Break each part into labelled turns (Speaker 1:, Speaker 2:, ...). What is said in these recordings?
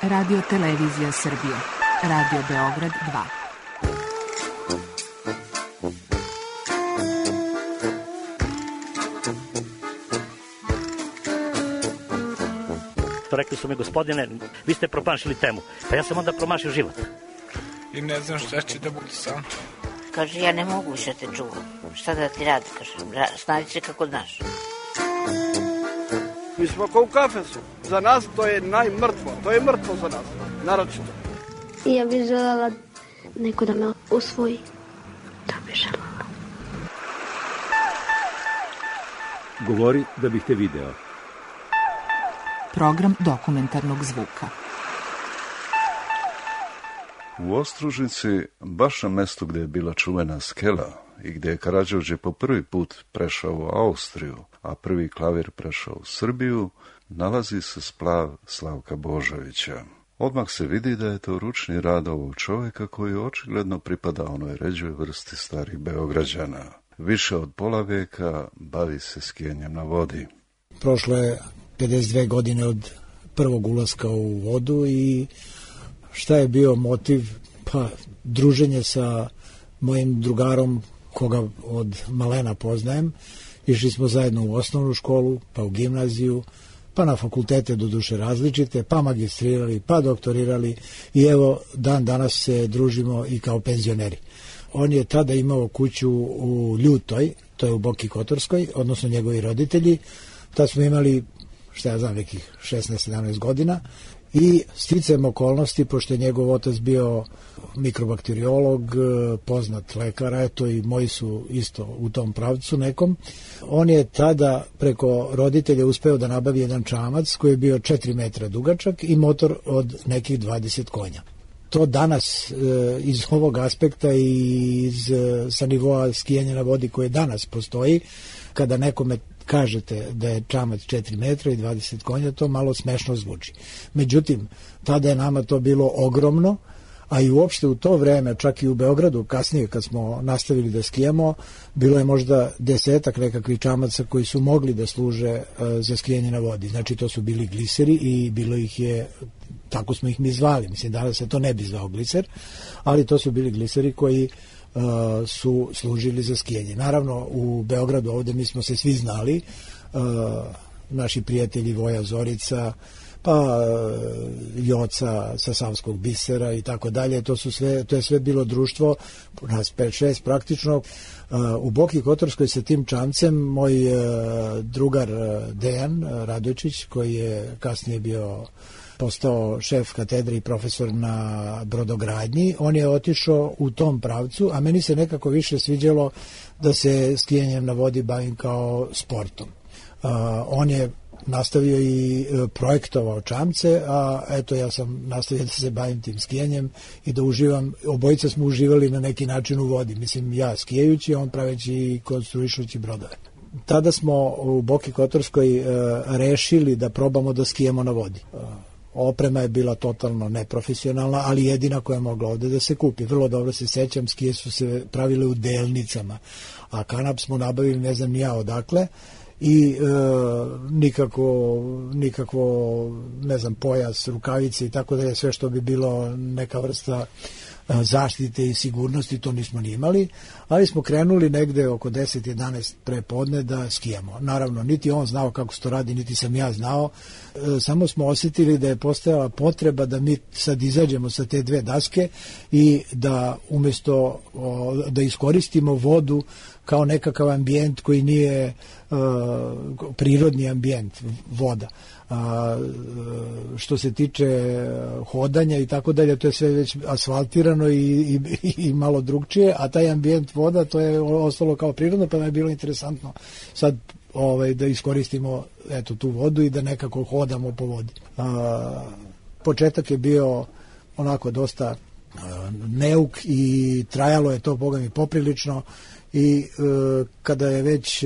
Speaker 1: Radio Televizija Srbije. Radio Beograd 2.
Speaker 2: Rekli su mi, gospodine, vi ste promašili temu. Pa ja sam onda promašio život.
Speaker 3: I ne znam šta će da bude sam.
Speaker 4: Kaže, ja ne mogu više te čuvam. Šta da ti radi, kaže, snađi se kako znaš.
Speaker 5: Mi smo kao u kafesu. Za nas to je najmrtvo. To je mrtvo za nas, naročito.
Speaker 6: Ja bih želela neko da me usvoji. To bih želela.
Speaker 7: Govori da bih te video.
Speaker 1: Program dokumentarnog zvuka.
Speaker 8: U Ostružnici, baš na mestu gdje je bila čuvena skela i gdje je Karađorđe po prvi put prešao u Austriju, a prvi klavir prešao u Srbiju, nalazi se splav Slavka Božovića. Odmah se vidi da je to ručni rad ovog čovjeka koji očigledno pripada onoj ređoj vrsti starih Beograđana. Više od pola vijeka bavi se skijenjem na vodi.
Speaker 9: Prošlo je 52 godine od prvog ulaska u vodu i šta je bio motiv? Pa druženje sa mojim drugarom koga od malena poznajem. Išli smo zajedno u osnovnu školu, pa u gimnaziju, pa na fakultete do duše različite, pa magistrirali, pa doktorirali i evo dan danas se družimo i kao penzioneri. On je tada imao kuću u Ljutoj, to je u Boki Kotorskoj, odnosno njegovi roditelji. Tad smo imali, šta ja znam, nekih 16-17 godina i sticajem okolnosti, pošto je njegov otac bio mikrobakteriolog, poznat lekar, eto i moji su isto u tom pravcu nekom, on je tada preko roditelja uspeo da nabavi jedan čamac koji je bio 4 metra dugačak i motor od nekih 20 konja. To danas iz ovog aspekta i sa nivoa skijanja na vodi koje danas postoji, kada nekome kažete da je čamac 4 metra i 20 konja, to malo smešno zvuči. Međutim, tada je nama to bilo ogromno, a i uopšte u to vreme, čak i u Beogradu, kasnije kad smo nastavili da skijamo, bilo je možda 10 nekakvih čamaca koji su mogli da služe za skijanje na vodi. Znači, to su bili gliseri i bilo ih je, tako smo ih mi zvali, mislim, danas se to ne bi zvao gliser, ali to su bili gliseri koji su služili za skijanje. Naravno, u Beogradu ovde mi smo se svi znali, naši prijatelji Voja Zorica, pa Joca sa Savskog bisera i tako dalje, to je sve bilo društvo, nas 5-6 praktično. U Boki Kotorskoj sa tim čamcem moj drugar Dejan Radojčić, koji je kasnije postao šef katedre i profesor na brodogradnji, on je otišao u tom pravcu, a meni se nekako više sviđalo da se skijanjem na vodi bavim kao sportom. On je nastavio i projektovao čamce, a eto ja sam nastavio da se bavim tim skijanjem i da uživam, obojica smo uživali na neki način u vodi, mislim ja skijajući, on praveći i konstruišući brodove. Tada smo u Boki Kotorskoj rešili da probamo da skijamo na vodi. Oprema je bila totalno neprofesionalna, ali jedina koja je mogla ovde da se kupi. Vrlo dobro se sećam, skije su se pravile u delnicama, a kanap smo nabavili ne znam ni ja odakle i nikakvo ne znam, pojas, rukavice i tako da je sve što bi bilo neka vrsta zaštite i sigurnosti, to nismo ni imali, ali smo krenuli negde oko 10-11 pre podne da skijamo. Naravno, niti on znao kako se to radi, niti sam ja znao, samo smo osjetili da je postojala potreba da mi sad izađemo sa te dve daske i da umesto da iskoristimo vodu kao nekakav ambijent koji nije prirodni ambijent, voda. Što se tiče hodanja i tako dalje, to je sve već asfaltirano i malo drugčije, a taj ambijent voda, to je ostalo kao prirodno, pa mi je bilo interesantno sad da iskoristimo eto tu vodu i da nekako hodamo po vodi. Početak je bio onako dosta neuk i trajalo je to, boga mi, poprilično. I kada je već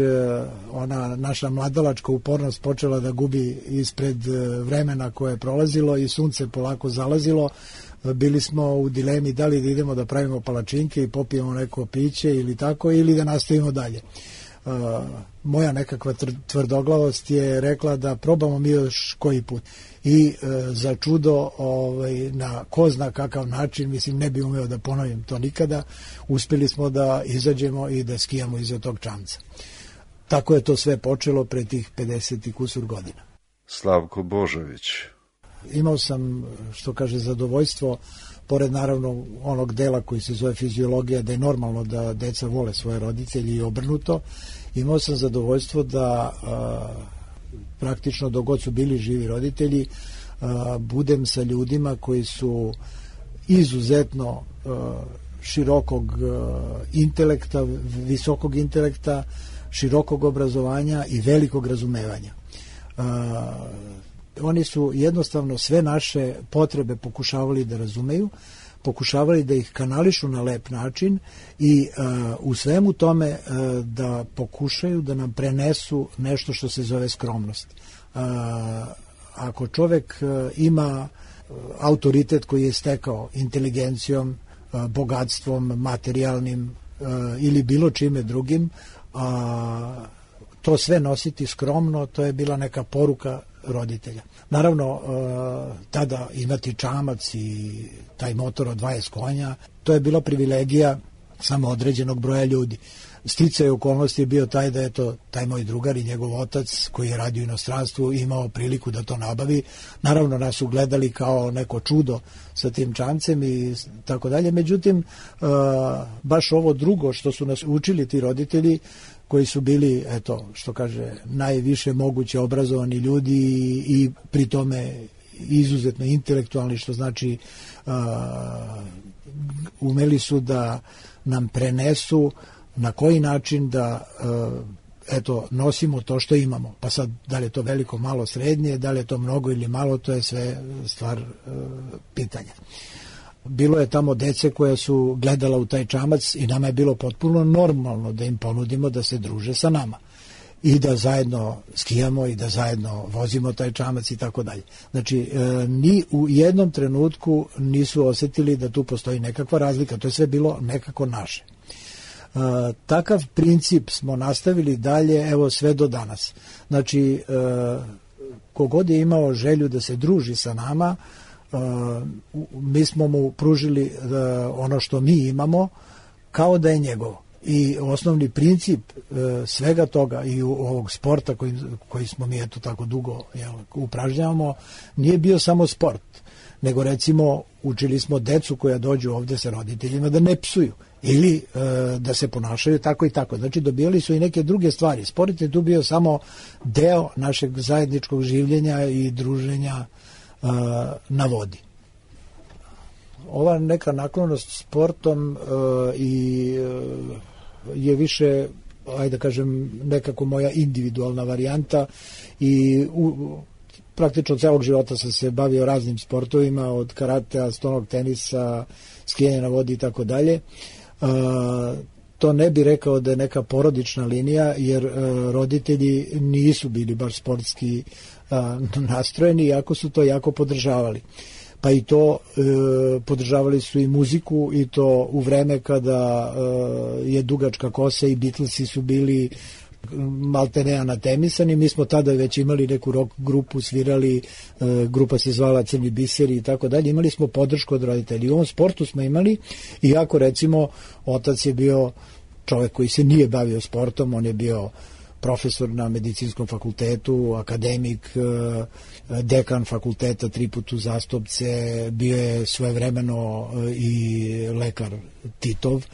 Speaker 9: ona naša mladalačka upornost počela da gubi ispred vremena koje je prolazilo i sunce polako zalazilo, bili smo u dilemi da li da idemo da pravimo palačinke i popijemo neko piće ili tako, ili da nastavimo dalje. moja nekakva tvrdoglavost je rekla da probamo mi još koji put. I za čudo, na ko zna kakav način, mislim, ne bi umeo da ponovim to nikada, uspjeli smo da izađemo i da skijamo iza tog čamca. Tako je to sve počelo pre tih 50 i kusur godina.
Speaker 8: Slavko Božović.
Speaker 9: Imao sam, što kaže, zadovoljstvo, pored naravno onog dela koji se zove fiziologija, da je normalno da deca vole svoje roditelje i obrnuto, imao sam zadovoljstvo da praktično dok god su bili živi roditelji budem sa ljudima koji su izuzetno širokog intelekta, visokog intelekta, širokog obrazovanja i velikog razumevanja. Oni su jednostavno sve naše potrebe pokušavali da razumeju, pokušavali da ih kanališu na lep način i u svemu tome da pokušaju da nam prenesu nešto što se zove skromnost. Ako čovek ima autoritet koji je stekao inteligencijom, bogatstvom, materijalnim ili bilo čime drugim, to sve nositi skromno, to je bila neka poruka roditelja. Naravno, tada imati čamac i taj motor od 20 konja, to je bila privilegija samo određenog broja ljudi. Sticaj okolnosti je bio taj da je to taj moj drugar i njegov otac koji je radio u inostranstvu imao priliku da to nabavi. Naravno, nas su gledali kao neko čudo sa tim čamcem i tako dalje. Međutim, baš ovo drugo što su nas učili ti roditelji, koji su bili, eto, što kaže, najviše moguće obrazovani ljudi i pri tome izuzetno intelektualni, što znači umeli su da nam prenesu na koji način da eto, nosimo to što imamo. Pa sad, da li je to veliko, malo, srednje, da li je to mnogo ili malo, to je sve stvar pitanja. Bilo je tamo dece koja su gledala u taj čamac i nama je bilo potpuno normalno da im ponudimo da se druže sa nama i da zajedno skijamo i da zajedno vozimo taj čamac i tako dalje. Znači, ni u jednom trenutku nisu osetili da tu postoji nekakva razlika, to je sve bilo nekako naše. Takav princip smo nastavili dalje, evo, sve do danas. Znači, kogod je imao želju da se druži sa nama, mi smo mu pružili ono što mi imamo kao da je njegovo. I osnovni princip svega toga i ovog sporta koji smo mi eto tako dugo upražnjavamo nije bio samo sport, nego recimo učili smo decu koja dođu ovde sa roditeljima da ne psuju ili da se ponašaju tako i tako. Znači dobijali su i neke druge stvari. Sport je tu bio samo deo našeg zajedničkog življenja i druženja na vodi. Ova neka naklonost sportom je više, ajde da kažem, nekako moja individualna varijanta i praktično celog života sam se bavio raznim sportovima, od karatea, stonog tenisa, skijanja na vodi i tako dalje. To ne bi rekao da je neka porodična linija, jer roditelji nisu bili baš sportski nastrojeni, iako su to jako podržavali. Pa i to podržavali su i muziku, i to u vreme kada je dugačka kosa i Beatlesi su bili maltene anatemisani. Mi smo tada već imali neku rock grupu, svirali, grupa se zvala Crni biseri i tako dalje. Imali smo podršku od roditelja. I u ovom sportu smo imali, iako recimo otac je bio čovek koji se nije bavio sportom, on je bio profesor na medicinskom fakultetu, akademik, dekan fakulteta 3 puta uzastopce, bio je svojevremeno i lekar Titov,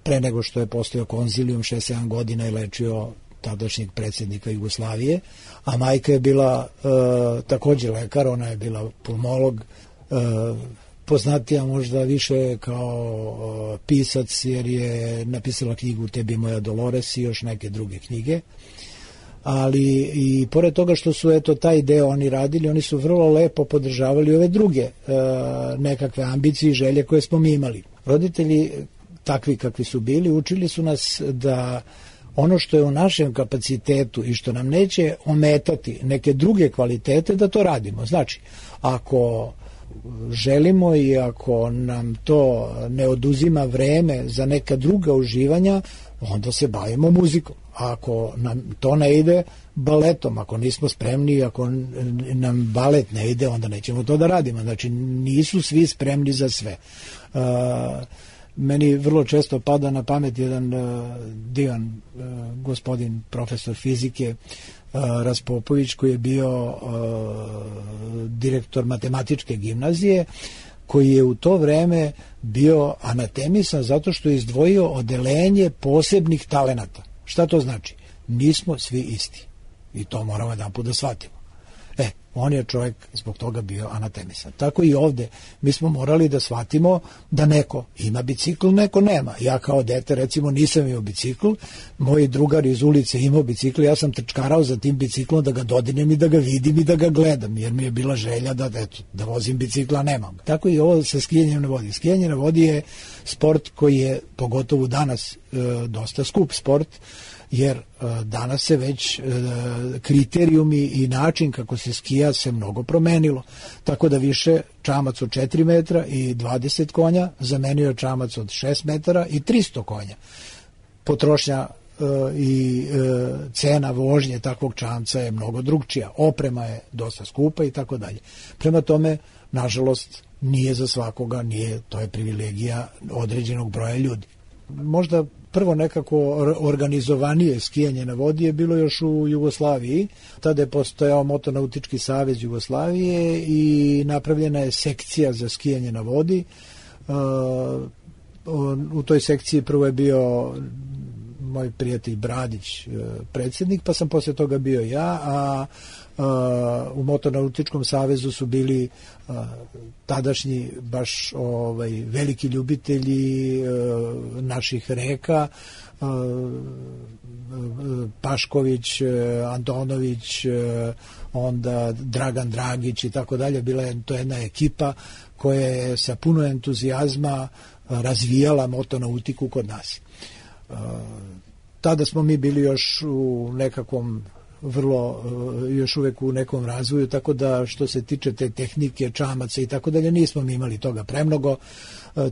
Speaker 9: pre nego što je postojao konzilijum, 6-7 godina je lečio tadašnjeg predsjednika Jugoslavije, a majka je bila takođe lekar, ona je bila pulmolog, poznatija možda više kao pisac, jer je napisala knjigu Tebi moja Dolores i još neke druge knjige. Ali i pored toga što su eto taj deo oni radili, oni su vrlo lepo podržavali ove druge nekakve ambicije i želje koje smo mi imali. Roditelji, takvi kakvi su bili, učili su nas da ono što je u našem kapacitetu i što nam neće ometati neke druge kvalitete, da to radimo. Znači, ako želimo i ako nam to ne oduzima vreme za neka druga uživanja, onda se bavimo muzikom. Ako nam to ne ide, baletom. Ako nismo spremni, ako nam balet ne ide, onda nećemo to da radimo. Znači, nisu svi spremni za sve. Meni vrlo često pada na pamet jedan divan gospodin, profesor fizike, Raspopović, koji je bio direktor matematičke gimnazije, koji je u to vreme bio anatemisan zato što je izdvojio odelenje posebnih talenata. Šta to znači? Nismo svi isti. I to moramo jedanput da shvatimo. On je čovjek zbog toga bio anatemisan. Tako i ovde. Mi smo morali da shvatimo da neko ima bicikl, neko nema. Ja kao dete, recimo, nisam imao bicikl, moj drugar iz ulice imao bicikl, ja sam trčkarao za tim biciklom da ga dodinem i da ga vidim i da ga gledam, jer mi je bila želja da vozim bicikla, nemam. Tako i ovo sa skijanjem na vodi. Skijanje na vodi je sport koji je, pogotovo danas, dosta skup sport, jer danas se već kriterijumi i način kako se skija se mnogo promenilo. Tako da više čamac od 4 metra i 20 konja zamenio čamac od 6 metara i 300 konja. Potrošnja i cena vožnje takvog čamca je mnogo drugčija. Oprema je dosta skupa i tako dalje. Prema tome, nažalost, nije za svakoga, to je privilegija određenog broja ljudi. Možda prvo nekako organizovanije skijanje na vodi je bilo još u Jugoslaviji. Tada je postojao Motonautički savez Jugoslavije i napravljena je sekcija za skijanje na vodi. U toj sekciji prvo je bio moj prijatelj Bradić predsjednik, pa sam posle toga bio ja, a u Motonautičkom savezu su bili tadašnji baš veliki ljubitelji naših reka, Pašković, Antonović, onda Dragan Dragić i tako dalje. Bila je to jedna ekipa koja je sa puno entuzijazma razvijala motonautiku kod nas. Tada smo mi bili još u nekakvom još uvek u nekom razvoju, tako da što se tiče te tehnike, čamaca i tako dalje, nismo mi imali toga premnogo.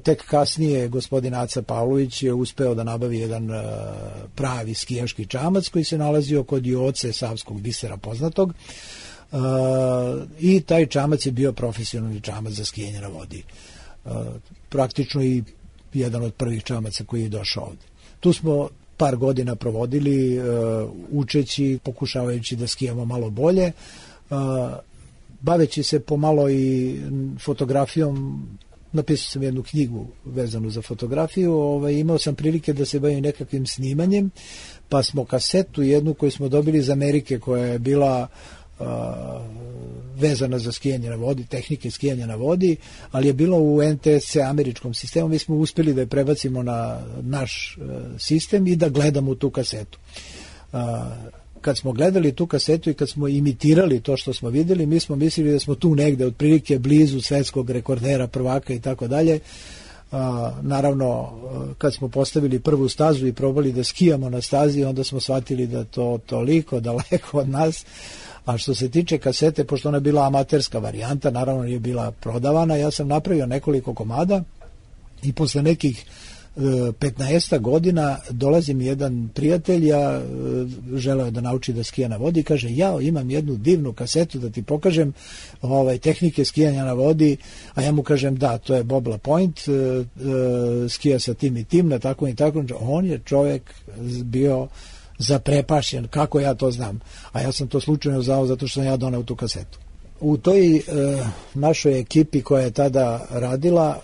Speaker 9: Tek kasnije gospodin Aca Pavlović je uspeo da nabavi jedan pravi skijaški čamac koji se nalazio kod Joce Savskog bisera poznatog, i taj čamac je bio profesionalni čamac za skijanje na vodi. Praktično i jedan od prvih čamaca koji je došao ovde. Tu smo par godina provodili učeći, pokušavajući da skijamo malo bolje, baveći se pomalo i fotografijom. Napisao sam jednu knjigu vezanu za fotografiju, imao sam prilike da se bavim nekakvim snimanjem, pa smo kasetu jednu koju smo dobili iz Amerike, koja je bila vezana za skijanje na vodi, tehnike skijanja na vodi, ali je bilo u NTSC američkom sistemu. Mi smo uspeli da je prebacimo na naš sistem i da gledamo tu kasetu. Kad smo gledali tu kasetu i kad smo imitirali to što smo videli, mi smo mislili da smo tu negde otprilike blizu svetskog rekordera, prvaka i tako dalje. Naravno, kad smo postavili prvu stazu i probali da skijamo na stazi, onda smo shvatili da to toliko daleko od nas. A što se tiče kasete, pošto ona je bila amaterska varijanta, naravno nije bila prodavana, ja sam napravio nekoliko komada i posle nekih 15 godina dolazi mi jedan prijatelj, ja želeo da nauči da skija na vodi, kaže, ja imam jednu divnu kasetu da ti pokažem tehnike skijanja na vodi, a ja mu kažem, da, to je Bob LaPointe, skija sa tim i tim, na tako i tako. On je čovjek bio zaprepašen, kako ja to znam, a ja sam to slučajno znao zato što sam ja doneo tu kasetu. U toj našoj ekipi koja je tada radila,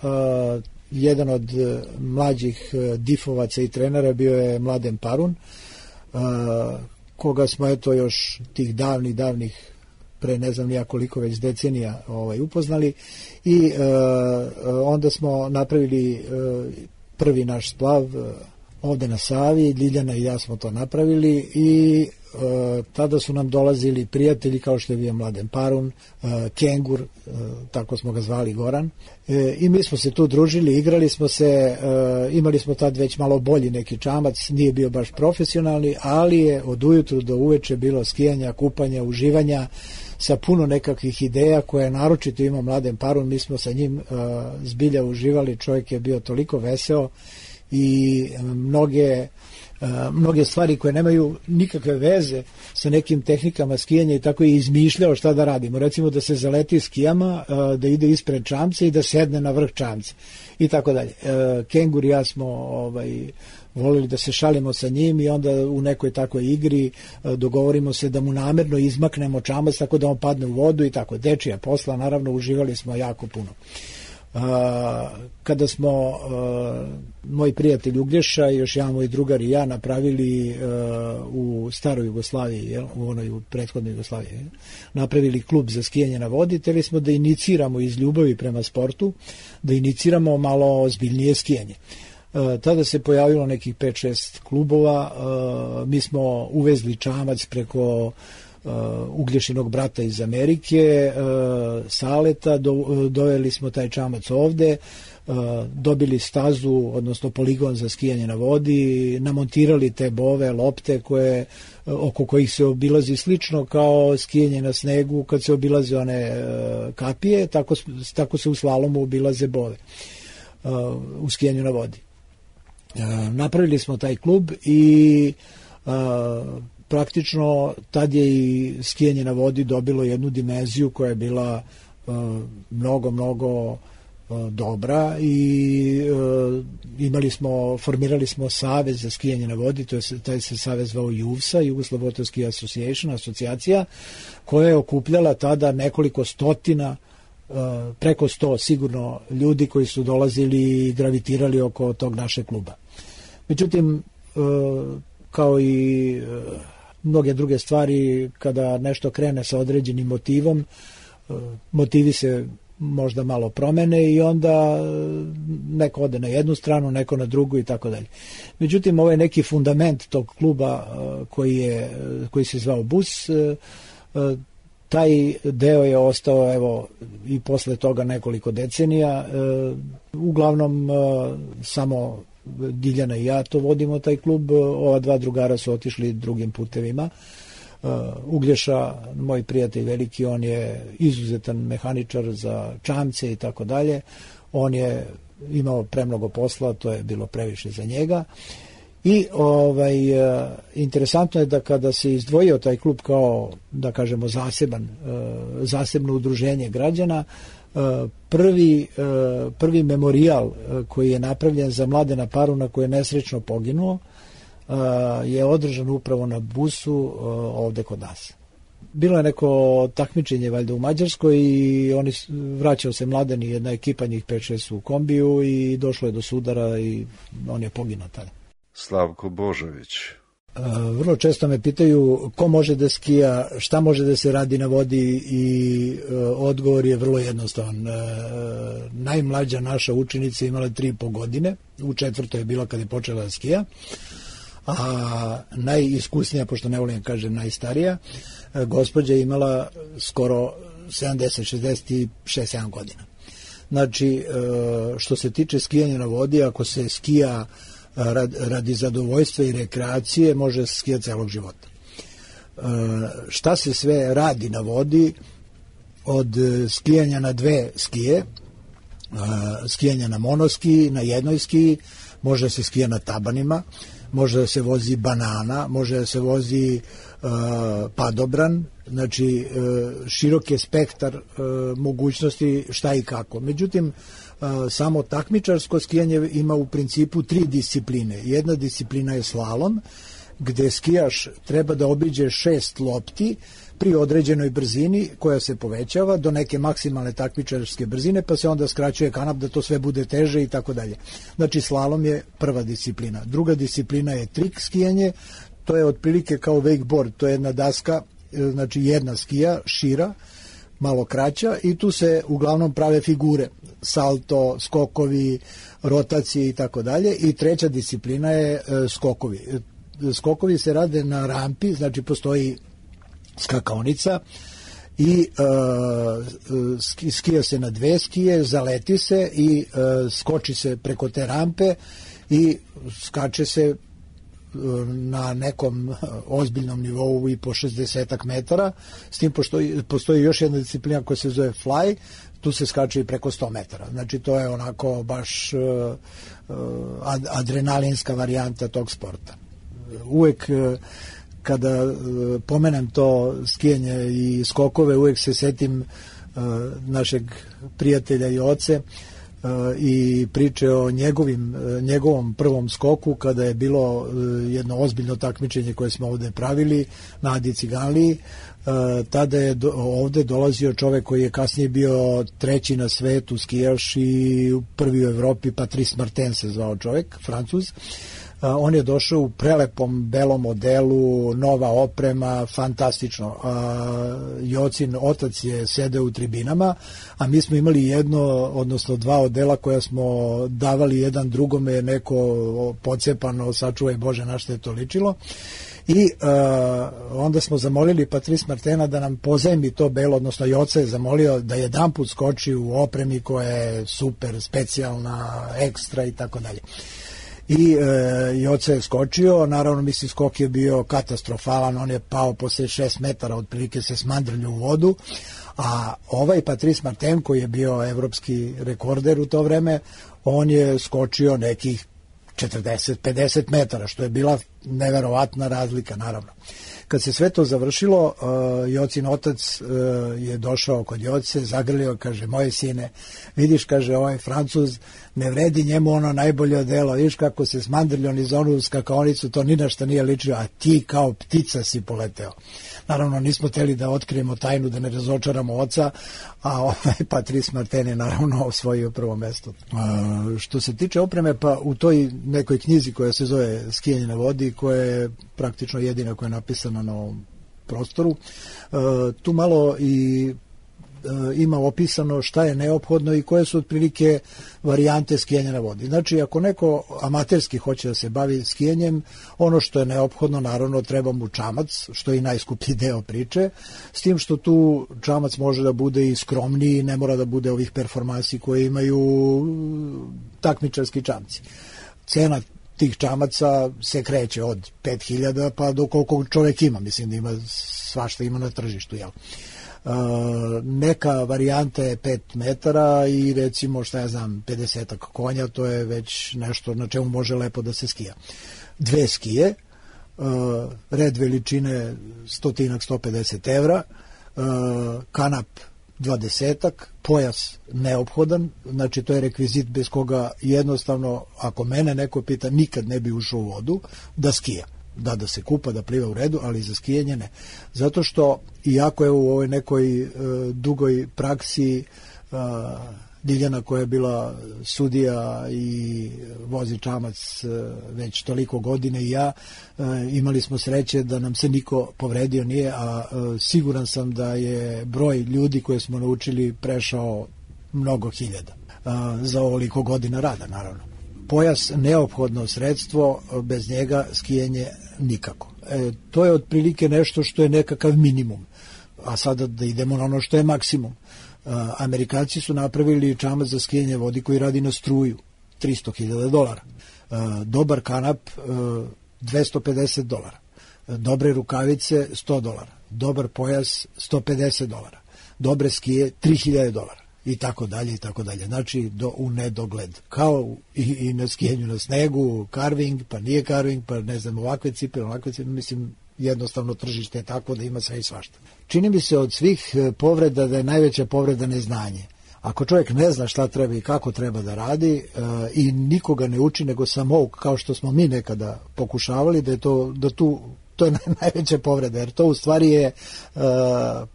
Speaker 9: jedan od mlađih difovaca i trenera bio je Mladen Parun, koga smo eto još tih davnih pre ne znam nija koliko već decenija upoznali, i onda smo napravili prvi naš splav ovde na Savi. Ljiljana i ja smo to napravili i tada su nam dolazili prijatelji kao što je bio Mladen Parun, Kengur, tako smo ga zvali, Goran, i mi smo se tu družili, igrali smo se, imali smo tad već malo bolji neki čamac, nije bio baš profesionalni, ali je od ujutru do uveče bilo skijanja, kupanja, uživanja, sa puno nekakvih ideja koje naročito ima Mladen Parun. Mi smo sa njim zbilja uživali, čovjek je bio toliko veseo i mnoge mnoge stvari koje nemaju nikakve veze sa nekim tehnikama skijanja i tako je izmišljao šta da radimo. Recimo da se zaleti skijama, da ide ispred čamca i da sedne na vrh čamca i tako dalje. Kengur i ja smo volili da se šalimo sa njim i onda u nekoj takvoj igri dogovorimo se da mu namerno izmaknemo čamac tako da on padne u vodu i tako. Dečija posla, naravno, uživali smo jako puno. Kada smo moj prijatelj Uglješa i još jedan moj drugar i ja napravili u staroj Jugoslaviji, u onoj prethodnoj Jugoslaviji, napravili klub za skijanje na vodi, hteli smo da iniciramo iz ljubavi prema sportu, da iniciramo malo ozbiljnije skijanje. Tada se pojavilo nekih 5-6 klubova, mi smo uvezli čamac preko Uglješinog brata iz Amerike, Saleta, doveli smo taj čamac ovde, dobili stazu, odnosno poligon za skijanje na vodi, namontirali te bove, lopte oko kojih se obilazi slično kao skijanje na snegu kad se obilaze one kapije, tako se u slalomu obilaze bove u skijanju na vodi. Napravili smo taj klub i praktično tad je i skijanje na vodi dobilo jednu dimenziju koja je bila mnogo dobra i formirali smo savez za skijanje na vodi, taj se savez zvao JUVSA, Jugoslav Ski Association, asocijacija, koja je okupljala tada nekoliko stotina, preko 100 sigurno ljudi koji su dolazili i gravitirali oko tog našeg kluba. Međutim, kao i mnoge druge stvari, kada nešto krene sa određenim motivom, motivi se možda malo promene i onda neko ode na jednu stranu, neko na drugu i tako dalje. Međutim, ovo je neki fundament tog kluba koji se zvao BUS. Taj deo je ostao evo i posle toga nekoliko decenija. Uglavnom samo Diljana i ja to vodimo taj klub, ova dva drugara su otišli drugim putevima. Uglješa, moj prijatelj veliki, on je izuzetan mehaničar za čamce i tako dalje. On je imao premnogo posla, to je bilo previše za njega. I interesantno je da kada se izdvojio taj klub kao, da kažemo, zasebno udruženje građana, prvi memorijal koji je napravljen za Mladena Paruna koji je nesrećno poginuo je održan upravo na BUS-u ovde kod nas. Bilo je neko takmičenje valjda u Mađarskoj i vraćao se Mladen i jedna ekipa, njih 5-6 u kombiju i došlo je do sudara i on je poginuo tada.
Speaker 8: Slavko Božović.
Speaker 9: Vrlo često me pitaju ko može da skija, šta može da se radi na vodi i odgovor je vrlo jednostavan. Najmlađa naša učenica imala 3,5 godine, u 4. je bila kad je počela da skija, a najiskusnija, pošto ne volim kažem najstarija, gospođa je imala skoro 70-67 godina. Znači, što se tiče skijanja na vodi, ako se skija radi zadovoljstva i rekreacije, može se skijati celog života. Šta se sve radi na vodi, od skijanja na 2 skije, skijanja na monoski, na jednoj skiji, može se skija na tabanima, može da se vozi banana, može da se vozi padobran, znači širok je spektar mogućnosti šta i kako. Međutim, samo takmičarsko skijanje ima u principu 3 discipline. Jedna disciplina je slalom, gde skijaš treba da obiđe 6 lopti pri određenoj brzini koja se povećava do neke maksimalne takmičarske brzine, pa se onda skraćuje kanap da to sve bude teže i tako dalje. Znači, slalom je prva disciplina. Druga disciplina je trik skijanje, to je otprilike kao wakeboard, to je jedna daska, znači jedna skija, šira, malo kraća i tu se uglavnom prave figure, salto, skokovi, rotacije i tako dalje. I treća disciplina je skokovi. Skokovi se rade na rampi, znači postoji skakaonica i skija se na 2 skije, zaleti se i skoči se preko te rampe i skače se na nekom ozbiljnom nivou i po 60 metara, s tim postoji još jedna disciplina koja se zove fly, tu se skače i preko 100 metara. Znači to je onako baš adrenalinska varijanta tog sporta. uvek kada pomenem to skijanje i skokove, uvek se setim našeg prijatelja Joce i priče o njegovom prvom skoku kada je bilo jedno ozbiljno takmičenje koje smo ovde pravili na Adi Ciganliji. Tada je ovde dolazio čovek koji je kasnije bio treći na svetu skijaš i prvi u Evropi, Patrice Martin se zvao čovek, Francuz. On je došao u prelepom belom modelu, nova oprema, fantastično. Jocin otac je sedeo u tribinama, a mi smo imali jedno, odnosno dva odela koja smo davali jedan drugome, neko pocepano, sačuvaj Bože na što je to ličilo. I onda smo zamolili Patrice Martina da nam pozajmi to belo, odnosno Joca je zamolio da jedanput skoči u opremi koja je super, specijalna, ekstra i tako dalje. I Joca je skočio, naravno mislim skok je bio katastrofalan, on je pao posle 6 metara, otprilike se smandrljio u vodu, a ovaj Patrice Martin koji je bio evropski rekorder u to vreme, on je skočio nekih 40-50 metara, što je bila neverovatna razlika, naravno. Kad se sve to završilo, Jocin otac je došao kod Joce, zagrlio, kaže, moje sine, vidiš, kaže, ovaj Francuz, ne vredi njemu ono najbolje odelo, vidiš kako se smandrljio niz onu skakaonicu, to ni na šta nije ličio, a ti kao ptica si poleteo. Naravno, nismo hteli da otkrijemo tajnu, da ne razočaramo oca, a ovaj Patrice Martin je naravno osvojio prvo mesto. Što se tiče opreme, pa u toj nekoj knjizi koja se zove Skijanje na vodi, koja je praktično jedina koja je napisana na ovom prostoru, tu malo i ima opisano šta je neophodno i koje su otprilike varijante skijanja na vodi. Znači, ako neko amaterski hoće da se bavi skijanjem, ono što je neophodno, naravno, treba mu čamac, što je i najskuplji deo priče, s tim što tu čamac može da bude i skromniji, ne mora da bude ovih performansi koje imaju takmičarski čamci. Cena tih čamaca se kreće od 5.000 pa do koliko čovjek ima, mislim da ima svašta ima na tržištu, jel? Neka varijanta je 5 metara i recimo, šta ja znam, 50 konja, to je već nešto na čemu može lepo da se skija. 2 skije, red veličine 100-150 evra, kanap 20, pojas neophodan, znači to je rekvizit bez koga jednostavno, ako mene neko pita, nikad ne bi ušao u vodu da skija. Da se kupa, da pliva u redu, ali za skijanje ne. Zato što, iako je u ovoj nekoj dugoj praksi Diljana koja je bila sudija i vozi čamac već toliko godine i ja, imali smo sreće da nam se niko povredio nije, a siguran sam da je broj ljudi koje smo naučili prešao mnogo hiljada za ovoliko godina rada, naravno. Pojas neophodno sredstvo, bez njega skijanje nikako. To je otprilike nešto što je nekakav minimum, a sada da idemo na ono što je maksimum. Amerikanci su napravili čamac za skijanje vodi koji radi na struju, $300.000. Dobar kanap, $250. Dobre rukavice, $100. Dobar pojas, $150. Dobre skije, $3.000. I tako dalje, i tako dalje. Znači, u nedogled. Kao i na skijenju na snegu, carving, pa nije carving, pa ne znam, ovakve cipele, mislim, jednostavno tržište je tako da ima sve i svašta. Čini mi se od svih povreda da je najveća povreda neznanje. Ako čovjek ne zna šta treba i kako treba da radi i nikoga ne uči, nego samo kao što smo mi nekada pokušavali, to je najveća povreda, jer to u stvari je,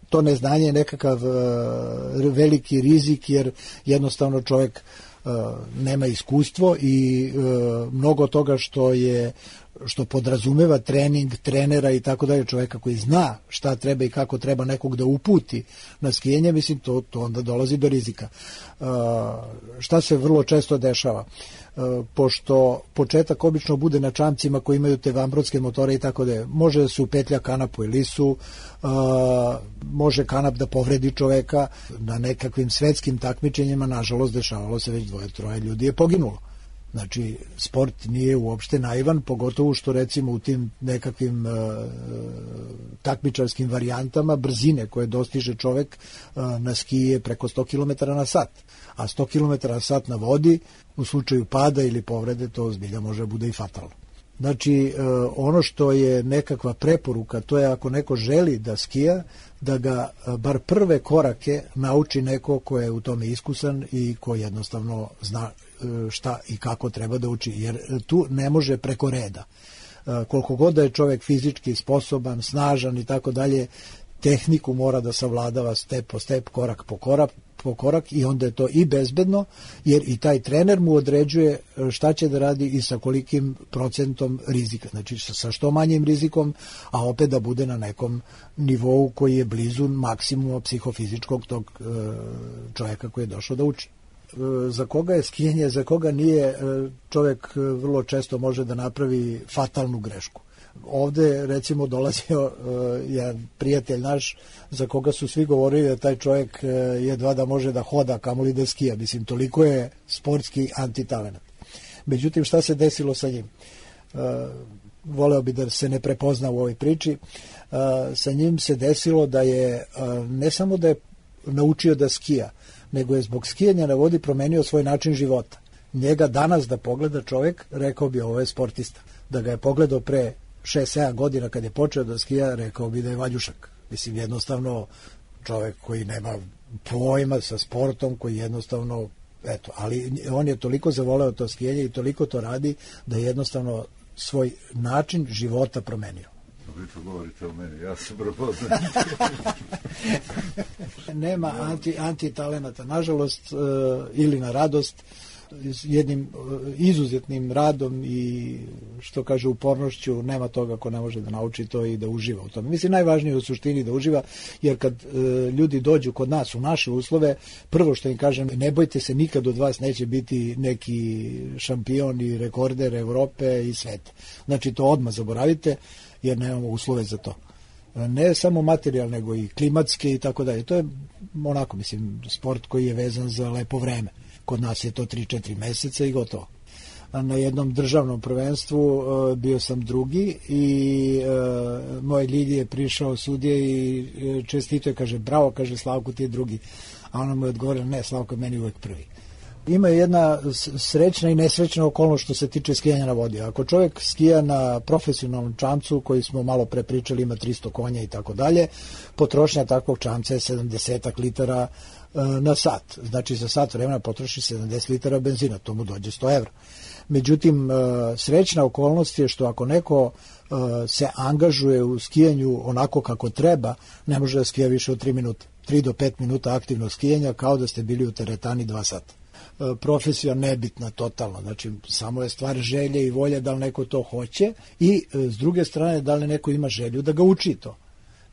Speaker 9: to neznanje je nekakav veliki rizik, jer jednostavno čovjek nema iskustvo i mnogo toga što podrazumeva trening, trenera i tako dalje, čovjeka koji zna šta treba i kako treba nekog da uputi na skijanje, mislim, to onda dolazi do rizika. Šta se vrlo često dešava? Pošto početak obično bude na čamcima koji imaju te vanbrodske motore i tako da može da se upetlja kanap u elisu, može kanap da povredi čoveka. Na nekakvim svetskim takmičenjima, nažalost, dešavalo se već 2-3 ljudi je poginulo. Znači, sport nije uopšte naivan, pogotovo što recimo u tim nekakvim takmičarskim varijantama brzine koje dostiže čovek na skiji je preko 100 km na sat. A 100 km na sat na vodi, u slučaju pada ili povrede, to zbilja može bude i fatalno. Znači, ono što je nekakva preporuka, to je ako neko želi da skija, da ga bar prve korake nauči neko ko je u tome iskusan i ko jednostavno zna šta i kako treba da uči, jer tu ne može preko reda. Koliko god da je čovjek fizički sposoban, snažan i tako dalje, tehniku mora da savladava step po step, korak po korak i onda je to i bezbedno, jer i taj trener mu određuje šta će da radi i sa kolikim procentom rizika. Znači sa što manjim rizikom, a opet da bude na nekom nivou koji je blizu maksimuma psihofizičkog tog čovjeka koji je došao da uči. Za koga je skijanje, za koga nije, čovjek vrlo često može da napravi fatalnu grešku. Ovde recimo dolazio jedan prijatelj naš za koga su svi govorili da taj čovjek jedva da može da hoda, kamoli da skija. Mislim, toliko je sportski antitalenat. Međutim, šta se desilo sa njim? Voleo bi da se ne prepozna u ovoj priči. Sa njim se desilo da je, ne samo da je naučio da skija, nego je zbog skijanja na vodi promenio svoj način života. Njega danas da pogleda čovjek, rekao bi ovo je sportista. Da ga je pogledao pre 6-7 godina kad je počeo da skija, rekao bi da je valjušak. Mislim, jednostavno čovjek koji nema pojma sa sportom, koji jednostavno, eto, ali on je toliko zavoleo to skijanje i toliko to radi da je jednostavno svoj način života promenio.
Speaker 8: Vi to govorite o meni, ja sam prepoznat.
Speaker 9: Nema antitalenata, nažalost, ili na radost, jednim izuzetnim radom i što kaže upornošću, nema toga ko ne može da nauči to i da uživa u tome. Mislim, najvažnije je u suštini da uživa, jer kad ljudi dođu kod nas u naše uslove, prvo što im kažem, ne bojte se, nikad od vas neće biti neki šampion i rekorder Evrope i sveta. Znači to odmah zaboravite, jer nemamo uslove za to. Ne samo materijalne, nego i klimatske i tako dalje. To je onako, mislim, sport koji je vezan za lepo vreme. Kod nas je to 3-4 meseca i gotovo. Na jednom državnom prvenstvu bio sam drugi i moj Ljilji je prišao sudije i čestito je, kaže, bravo, kaže, Slavko, ti je drugi. A ona mu je odgovorila, ne, Slavko je meni uvek prvi. Ima jedna srećna i nesrećna okolnost što se tiče skijanja na vodi. Ako čovjek skija na profesionalnom čamcu, koji smo malo pre pričali, ima 300 konja i tako dalje, potrošnja takvog čamca je 70 litara na sat. Znači za sat vremena potroši 70 litara benzina, to mu dođe 100 evra. Međutim, srećna okolnost je što ako neko se angažuje u skijanju onako kako treba, ne može da skija više od 3 minuta. 3 do 5 minuta aktivnog skijanja, kao da ste bili u teretani 2 sata. Profesija nebitna totalno, znači samo je stvar želje i volje da li neko to hoće i s druge strane da li neko ima želju da ga uči to.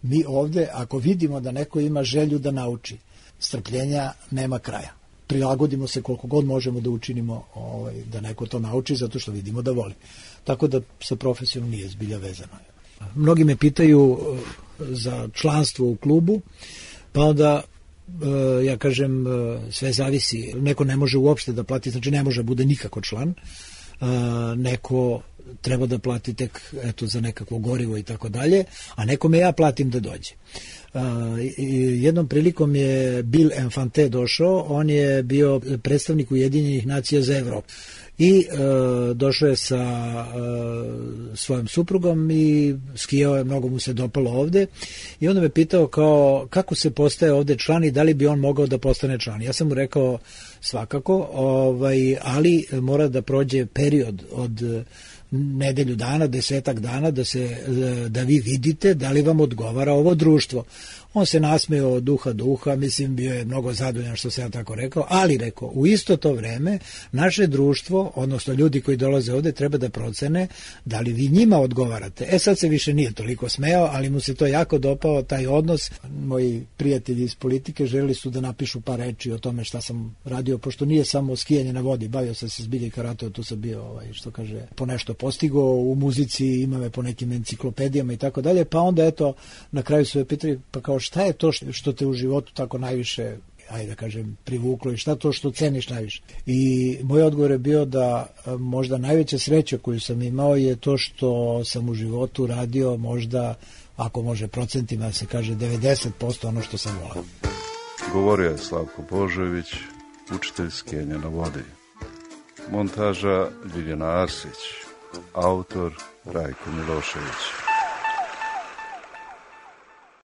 Speaker 9: Mi ovde, ako vidimo da neko ima želju da nauči, strpljenja nema kraja. Prilagodimo se koliko god možemo da učinimo da neko to nauči, zato što vidimo da voli. Tako da sa profesijom nije zbilja vezano. Mnogi me pitaju za članstvo u klubu, pa onda ja kažem, sve zavisi. Neko ne može uopšte da plati, znači ne može da bude nikako član. Neko treba da plati tek za nekakvo gorivo i tako dalje, a nekome ja platim da dođe. Jednom prilikom je Bill Infante došao, on je bio predstavnik Ujedinjenih nacija za Evropu i došao je sa svojom suprugom i skijao je, mnogo mu se dopalo ovde i onda me pitao kao kako se postaje ovde član i da li bi on mogao da postane član. Ja sam mu rekao svakako, ali mora da prođe period od nedelju dana, 10 dana da vi vidite da li vam odgovara ovo društvo. On se nasmeo od uha do uha, mislim, bio je mnogo zadovoljan što sam ja tako rekao, ali rekao, u isto to vreme naše društvo, odnosno ljudi koji dolaze ovde, treba da procene da li vi njima odgovarate. Sad se više nije toliko smeo, ali mu se to jako dopao, taj odnos. Moji prijatelji iz politike želeli su da napišu par reči o tome šta sam radio, pošto nije samo skijanje na vodi, bavio sam se zbilje karate, tu sam bio, što kaže, po nešto postigao u muzici, ima me po nekim enciklopedijama i tako dalje, pa onda eto, na kraju su je pitali, pa kao šta je to što te u životu tako najviše, ajde da kažem, privuklo i šta to što ceniš najviše? I moj odgovor je bio da možda najveća sreća koju sam imao je to što sam u životu radio možda, ako može procentima se kaže, 90% ono što sam volao.
Speaker 8: Govorio je Slavko Božović, učitelj skijanja na vodi. Montaža Ljiljana Arsić. autor Rajko Milošević.